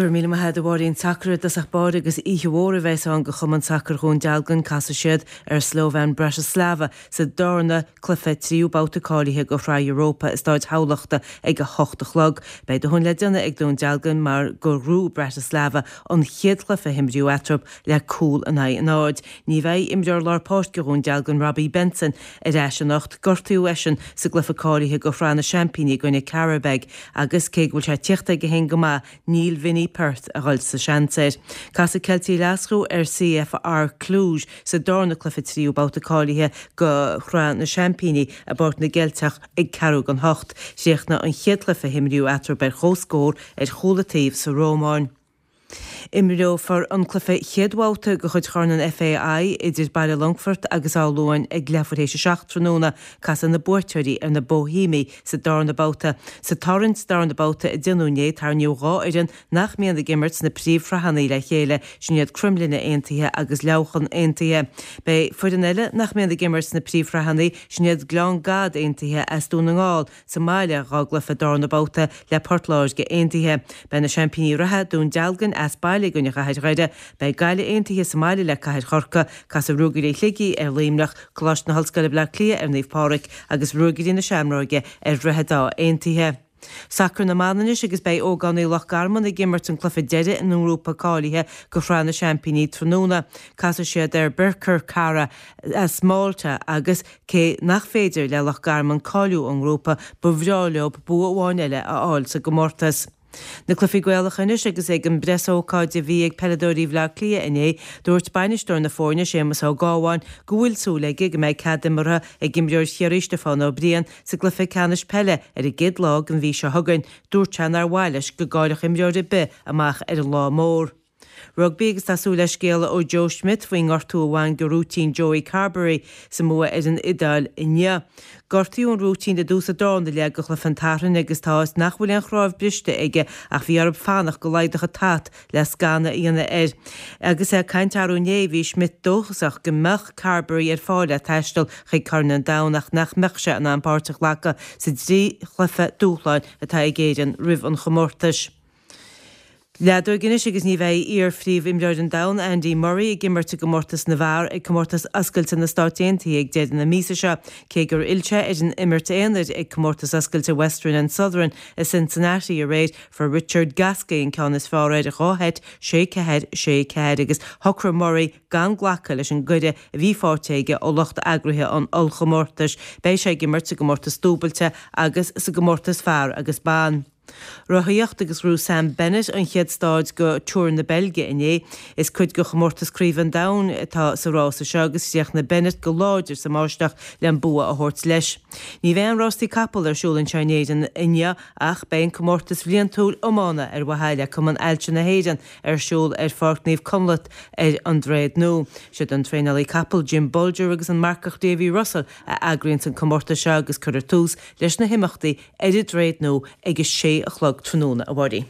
Go raibh míle maith agat a Mháirín. Sacar i dtosach báire agus oíche mhór a bheas ann do Chumann Sacair Dhún Dealgan. Casfaidh siad ar Slovan Bratislava sa darna cluiche tríú babhta cáilithe do Shraith Europa i Stáid Thamhlachta ag 8 a chlog. Beidh dóthain le déanamh ag Dún Dealgan mar gur ghnóthaigh Bratislava an chéad chluiche a himríodh eatarthu le cúl in aghaidh a náid. Ní bheidh imreoir lár páirce Dhún Dealgan Robbie Benson ar ais anocht. Gortaíodh eisean sa gcluiche cáilithe do Shraith na Seaimpíní i gcoinne Qarabag agus cé go bhfuil sé tíochta aige féin go maith Níl Vinny Perth a dhul sa seans air. Casfaidh Ceiltigh Ghlaschú ar CFR Cluj sa darna cluiche tríú babhta cáilithe do Shraith na Seaimpíní i bPáirc na gCeilteach ag ceathrú don hocht. Chríochnaigh an chéad chluiche a himríodh eatarthu ar comhscór ar chúl an taobh sa Rómáin. Imreofar an cluiche chéad bhabhta de chuid Chorn an FAI idir Baile Longfoirt agus Áth Luain ag leathuair théis a 7 tráthnóna. Casfaidh na buaiteoirí ar na Bóihéimigh sa darna babhta. Sa tarraingt darna babhta a déanadh inné, tarraingíodh 2 fhoireann nach mbíonn ag imirt sna príomhshraitheanna le chéile, sin iad Cromghlinne Aontaithe agus Leamhcán Aontaithe. Beidh foireann eile nach mbíonn ag imirt sna príomhshraitheanna, sin iad Gleann Gad Aontaithe as Dún na nGall, sa mbaile dá gcluiche darna babhta le Port Láirge Aontaithe. Beidh na seaimpíní reatha, Dún Dealgan, as baile i gcoinne Chathair Dhoire. Beidh Gaillimh Aontaithe sa mbaile le Cathair Chorcaí. Casfaidh Ruagairí Shligigh ar Luimneach, Coláiste na hOllscoile Bleá Cliath ar Naomh Pádraig agus Ruagairí na Seamróige ar Dhroichead Átha Aontaithe. Sacar na mban anois agus beidh ógánaigh Loch Garman ag imirt an cluiche deiridh ina ngrúpa cáilithe do Shraith na Seaimpíní tráthnóna. Casfaidh siad ar Birkirkara as Malta agus cé nach féidir le Loch Garman cáiliú ón ngrúpa, ba bhreá leo bua amháin eile a fháil sa gcomórtas. Na cluichí Gaelacha anois agus ag an bpreasócáid a bhí ag peileadóirí Bhaile Átha Cliath inné, dúirt bainisteoir na foirne, Séamus Ó Gábháin, go bhfuil súil aige go mbeidh cead imeartha ag imreoir Chiarraí Stiofán Ó Briain sa gcluiche ceannais peile ar an gcéad lá den mhí seo chugainn. Dúirt sé nár mhaith leis go gcaillfeadh imreoir ar bith amach ar an lá mór. Rugbaí agus tá súil le scéala ó Joe Schmidt faoin ngortú a bhain de rúitín Joey Carbery sa mbua ar an Iodáil inniu. Gortaíodh an rúitín i dtús an darna leath de chluiche an tSathairn agus tá 'fhios nach bhfuil aon chnámh briste aige ach bhí orthu fanacht go laghdódh an t-at le scanadh a dhéanamh air. Agus é ag caint arú inné bhí Schmidt dóchasach go mbeadh Carbery ar fáil le taisteal chuig Corn an Domhain ach nach mbeadh sé in ann páirt a ghlacadh sa dtrí chluiche dúshláin atá ag Éirinn roimh an chomórtais. Leadóg anois agus ní bheidh iar-phríomhimreoir an domhain, Andy Murray, ag imirt i gcomórtas na bhfear ag Comórtas Oscailte na Stáit Aontaithe ag deireadh na míosa seo, cé gur fhill sé ar an imirt aonair ag Comórtas Oscailte Western and Southern i Cincinnati aréir. Fuair Richard Gasquet an ceann is fearr air, 2 sheit, 6 4, 6 4, agus shocraigh Murray gan glacadh leis an gcuireadh a bhí faighte aige ó lucht eagraithe an ollchomórtais. Beidh sé ag imirt sa gcomórtas dúbailte agus sa gcomórtas fear agus ban. Rothaíocht agus ghnóthaigh Sam Bennett an chéad stáid de Tour na Beilge inné. Is cuid de chomórtas Craoibhe an Domhain atá sa rása seo agus chríochnaigh Bennett go láidir sa mbáisteach le an bua a thabhairt leis. Ní bheidh aon rástaí capall ar siúl anseo in Éirinn inniu ach beidh an comórtas bhliantúil iomána ar mhaithe le Cumann Ailse na hÉireann ar siúl ar Pháirc Naomh Conleth ar an Droichead Nua. Siad an traenálaí capall Jim Bolger agus an marcach Davy Russell a eagraíonns an comórtas seo agus cuirfear tús leis na himeachtaí ar an Droichead Nua ag a sé a chlog tráthnóna, a Mháirín.